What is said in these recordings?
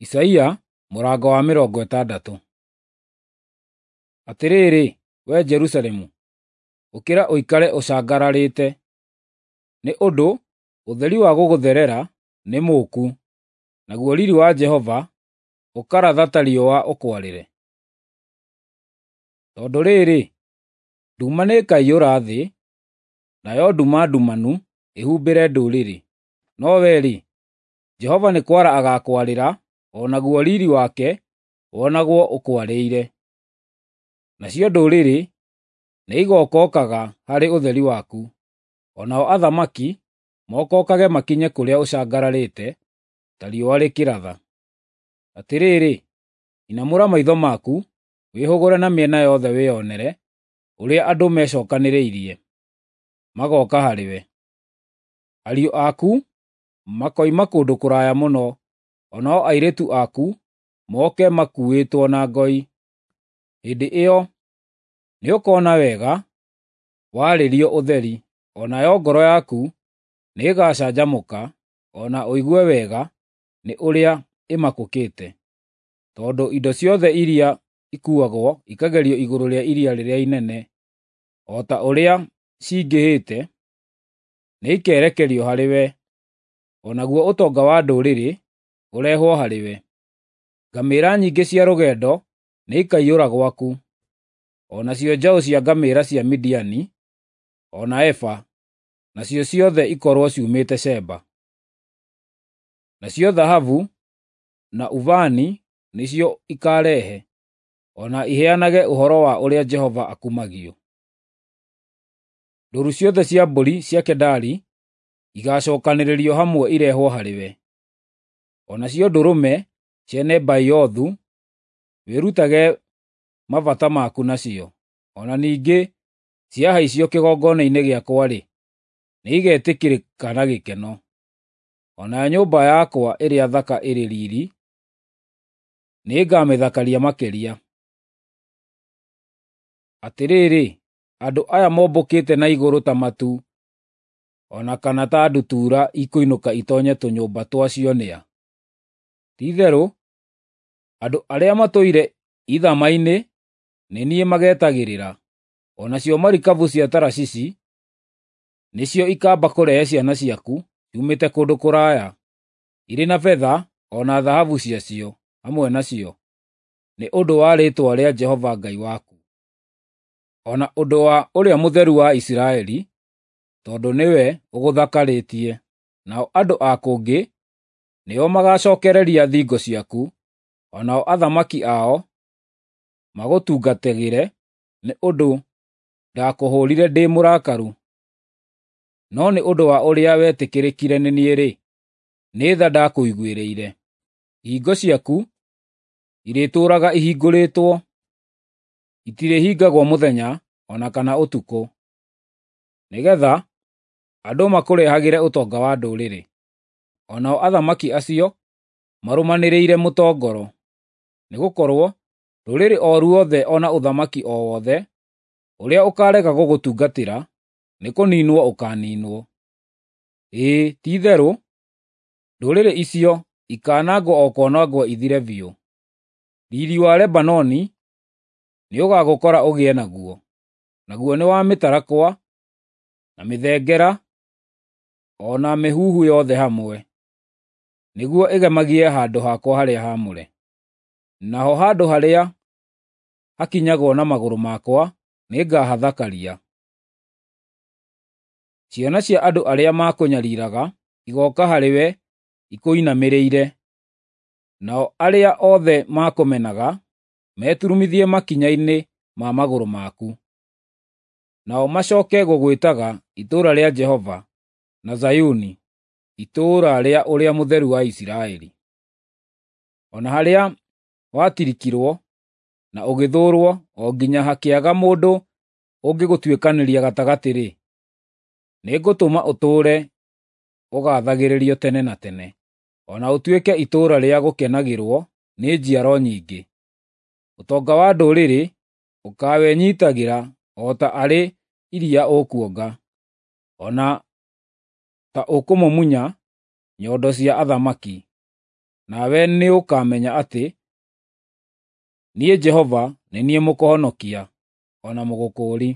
Isaia mũrango wa 60. Atĩrĩrĩ, wee Jerusalemu, ũkĩra ũikare ũcangararĩte, nĩ ũndũ ũtheri wa gũgũtherera nĩ mũũku, naguo riiri wa Jehova ũkaratha ta riũa ũkwarĩre. Tondũ rĩrĩ, nduma nĩĩkaiyũra thĩ, nayo nduma ndumanu ĩhumbĩre ndũrĩrĩ, no wee-rĩ, Jehova nĩ kwara agaakwarĩra, o naguo riiri wake wonagwo ũkwarĩire. Nacio ndũrĩrĩ nĩigookokaga harĩ ũtheri waku, o nao athamaki mokokage makinye kũrĩa ũcangararĩte ta riũa rĩkĩratha. Atĩrĩrĩ, inamũra maitho maku, wĩhũgũre na mĩena yothe wĩonere ũrĩa andũ mecookanĩrĩirie, magooka harĩwe. Ariũ aku makoima kũndũ kũraya mũno, o nao airĩtu aku moke makuuĩtwo na ngoi. Hĩndĩ ĩyo nĩũkona wega warĩrio ũtheri, o nayo ngoro yaku nĩĩgacanjamũka, o na ũigue wega nĩ ũrĩa ĩmakũkĩte, tondũ indo ciothe iria ikuuagwo ikagerio igũrũ rĩa iria rĩrĩa inene, o ta ũrĩa cingĩhĩte, nĩikerekerio harĩwe, o naguo ũtonga wa ndũrĩrĩ ũrehwo harĩwe. Ngamĩĩra nyingĩ cia rũgendo nĩikaiyũra gwaku, o nacio njaũ cia ngamĩĩra cia Midiani, o na Efa, nacio ciothe ikorwo ciumĩte Sheba. Nacio thahabu na ubani nĩcio ikaarehe, o na iheanage ũhoro wa ũrĩa Jehova akumagio. Ndũũru ciothe cia mbũri cia Kedari igaacookanĩrĩrio hamwe irehwo harĩwe, o nacio ndũrũme cia Nebaiothu wĩrutage mabata maku nacio. O na ningĩ ciahaicio kĩgongona-inĩ gĩakwa-rĩ, nĩigetĩkĩrĩka na gĩkeno. O nayo nyũmba yakwa ĩrĩa thaka ĩrĩ riiri nĩngamĩthakaria makĩria. Atĩrĩrĩ, andũ aya mombũkĩte na igũrũ ta matu, o na kana ta ndutura ikũinũka itoonye tũnyũmba twacio nĩ a? Ti-itherũ andũ arĩa matũire ithama-inĩ nĩ niĩ magetagĩrĩra, o nacio marikabu cia Tarashishi nĩcio ikaamba kũrehe ciana ciaku ciumĩte kũndũ kũraya, irĩ na betha o na thahabu ciacio hamwe nacio, nĩ ũndũ wa rĩĩtwa rĩa Jehova Ngai waku, o na ũndũ wa Ũrĩa Mũtheru wa Isiraeli, tondũ nĩwe ũgũthakarĩtie. Nao andũ a kũngĩ nĩo magaacookereria thingo ciaku, o nao athamaki ao magũtungatagĩre, nĩ ũndũ ndakũhũũrire ndĩ mũrakaru. No nĩ ũndũ wa ũrĩa wetĩkĩrĩkire nĩ niĩ-rĩ, nĩ tha ndakũiguĩrĩire. Ihingo ciaku irĩtũũraga ihingũrĩtwo, itirĩhingagwo mũthenya o na kana ũtukũ, nĩgeetha andũ makũrehagĩre ũtonga wa ndũrĩrĩ, o nao athamaki acio marũmanĩrĩire mũtongoro. Nĩgũkorwo rũrĩrĩ o ruothe o na ũthamaki o wothe ũrĩa ũkaarega gũgũtungatĩra nĩkũniinwo ũkaaniinwo. Ĩĩ, ti-itherũ ndũrĩrĩ icio ikaanangwo o kwanangwo ithire biũ. Riiri wa Lebanoni nĩũgagũkora ũgĩe naguo, naguo nĩ wa mĩtarakwa, na mĩthengera, o na mĩhuhu yothe hamwe, nĩguo ĩgemagie handũ hakwa harĩa haamũre. Naho handũ harĩa hakinyagwo na magũrũ makwa nĩngahathakaria. Ciana cia andũ arĩa makũnyariiraga igooka harĩwe ikũinamĩrĩire, nao arĩa othe makũmenaga meturumithie makinya-inĩ ma magũrũ maku. Nao macooke gũgwĩtaga Itũũra rĩa Jehova, na Zayuni, Itũũra rĩa Ũrĩa Mũtheru wa Isiraeli. O na harĩa watirikirwo na ũgĩthũũrwo o nginya hakĩaga mũndũ ũngĩgũtuĩkanĩria gatagatĩ-rĩ, nĩngũtũma ũtũũre ũgaathagĩrĩrio tene na tene, o na ũtuĩke itũũra rĩa gũkenagĩrwo nĩ njiaro nyingĩ. Ũtonga wa ndũrĩrĩ ũkaawenyiitagĩra o ta arĩ iria ũkuonga, o na ta ũkũmumunya nyondo cia athamaki. Nawe nĩũkamenya atĩ niĩ Jehova nĩ niĩ Mũkũhonokia, o na Mũgũkũũri,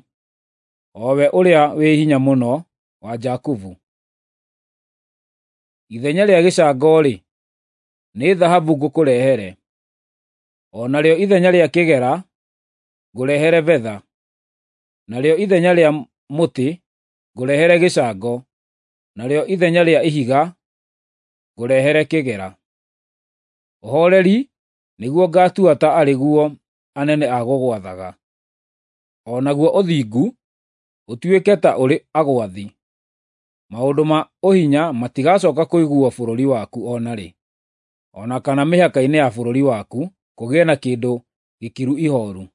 o we Ũrĩa-wĩ-Hinya-Mũno wa Jakubu. Ithenya rĩa gĩcango-rĩ, nĩ thahabu ngũkũrehere, o narĩo ithenya rĩa kĩgera ngũrehere betha, narĩo ithenya rĩa mũtĩ ngũrehere gĩcango, narĩo ithenya rĩa ihiga ngũrehere kĩgera. Ũhooreri nĩguo ngatua ta arĩ guo anene a gũgwathaga, o naguo ũthingu ũtuĩke ta ũrĩ agwathi. Maũndũ ma ũhinya matigacooka kũiguuo bũrũri waku o na rĩ, o na kana mĩhaka-inĩ ya bũrũri waku kũgĩe na kĩndũ gĩkiru ihooru,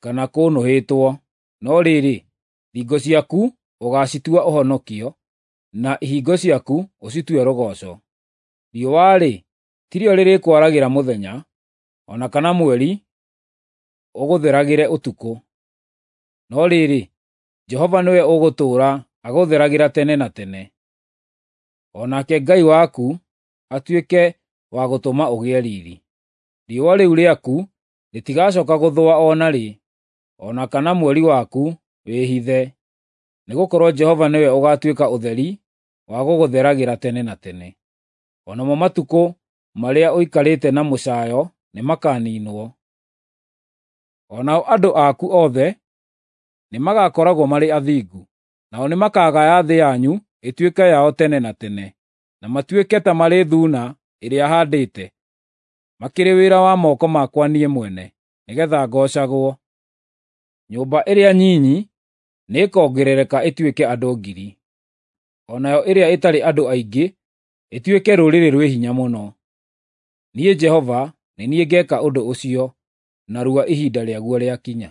kana kũũnũhĩtwo. No rĩrĩ, thingo ciaku ũgaacitua ũhonokio, na ihingo ciaku ũcitue rũgooco. Riũa-rĩ, tirĩo rĩrĩkwaragĩra mũthenya, o na kana mweri ũgũtheragĩre ũtukũ. No rĩrĩ, Jehova nĩwe ũgũtũũra agũtheragĩra tene na tene, o nake Ngai waku atuĩke wa gũtũma ũgĩe riiri. Riũa rĩu rĩaku rĩtigacooka gũthũa o na rĩ, o na kana mweri waku wĩhithe, nĩgũkorwo Jehova nĩwe ũgaatuĩka ũtheri wa gũgũtheragĩra tene na tene. O namo matukũ marĩa ũikarĩte na mũcaayo nĩmakaniinwo. O nao andũ aku othe nĩmagakoragwo marĩ athingu, nao nĩmakagaya thĩ yanyu ĩtuĩke yao tene na tene, na matuĩke ta marĩ thuuna ĩrĩa haandĩte, makĩrĩ wĩra wa moko makwa niĩ mwene, nĩgeetha ngoocagwo. Nyũmba ĩrĩa nyinyi nĩĩkongerereka ĩtuĩke andũ 1,000, o nayo ĩrĩa ĩtarĩ andũ aingĩ ĩtuĩke rũrĩrĩ rwĩ hinya mũno. Niĩ Jehova nĩ niĩ ngeeka ũndũ ũcio narua ihinda rĩaguo rĩakinya.